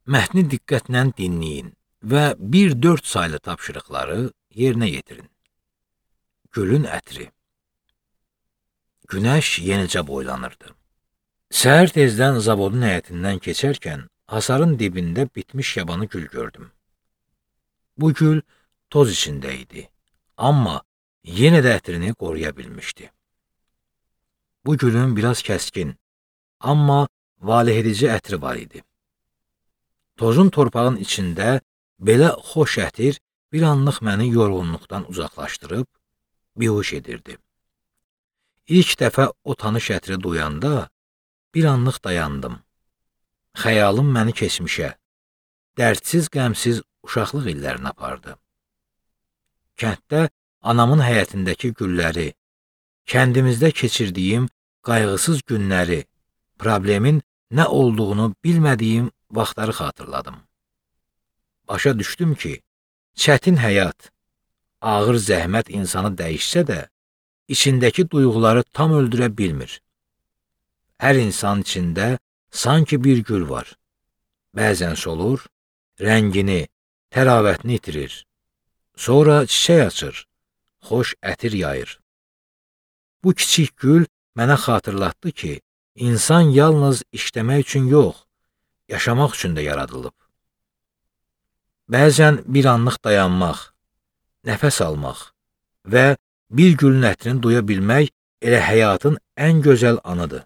Mətni diqqətlə dinləyin və 1-4 saylı tapşırıqları yerinə yetirin. Gülün ətri. Günəş yenicə boylanırdı. Səhər tezdən zavodun həyətindən keçərkən hasarın dibində bitmiş yabanı gül gördüm. Bu gül toz içində idi, amma yenə də ətrini qoruya bilmişdi. Bu gülün biraz kəskin, amma valehedici ətri var idi. Tozun torpağın içində belə xoş ətir bir anlıq məni yorğunluqdan uzaqlaşdırıb, bihuş edirdi. İlk dəfə o tanış ətri duyanda bir anlıq dayandım. Xəyalım məni keçmişə, dərdsiz, qəmsiz uşaqlıq illərinə apardı. Kənddə anamın həyətindəki gülləri, kəndimizdə keçirdiyim qayğısız günləri, problemin nə olduğunu bilmədiyim vaxtları xatırladım. Başa düşdüm ki, çətin həyat, ağır zəhmət insanı dəyişsə də, içindəki duyğuları tam öldürə bilmir. Hər insan içində sanki bir gül var. Bəzən solur, rəngini, təravətini itirir. Sonra çiçək açır, xoş ətir yayır. Bu kiçik gül mənə xatırlatdı ki, insan yalnız işləmək üçün yox, yaşamaq üçün də yaradılıb. Bəzən bir anlıq dayanmaq, nəfəs almaq və bir gülün ətrini duya bilmək elə həyatın ən gözəl anıdır.